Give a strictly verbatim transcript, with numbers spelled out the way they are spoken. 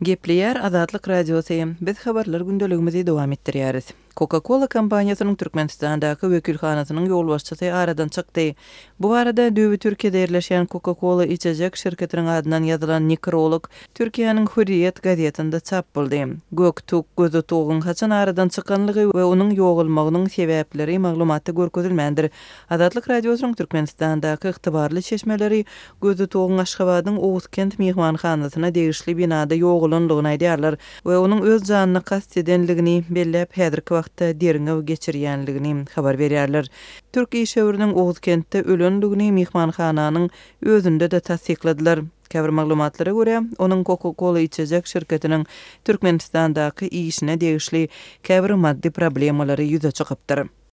Gepleýär Azatlyk Radiosy. Biz habarlar gündeligimizi dowam etdirýäris. Coca-Cola kompaniýasynyň Türkmenistandaky wekilhanasynyň ýolbaşçysy aradan çykdy. Bu barada düýbi Türkiýede ýerleşýän Coca-Cola içecek şirketiniň adyndan ýazylan nekrolog Türkiýäniň Hürriýet gazetinde çap boldy. Göktug Gözütugyň haçan aradan çykanlygy we onuň ýogalmagynyň sebäpleri maglumatda görkezilmändir. Azatlyk Radiosynyň Türkmenistandaky ygtybarly çeşmeleri Gözütugyň Aşgabadyň Oguzkent myhmanhanasyna degişli binada ýogalanlygyny aýdýarlar we onuň öz janyna kast edenligini belläp, häzirki wagtda derňew geçirýänligini habar berýärler. Türk işewüriniň Oguzkentde ölenligini myhmanhananyň özünde-de tassykladylar. Käbir maglumatlara görä, onuň Coca-Cola içecek şirketiniň Türkmenistandaky işine degişli käbir maddy problemalary ýüze çykypdyr.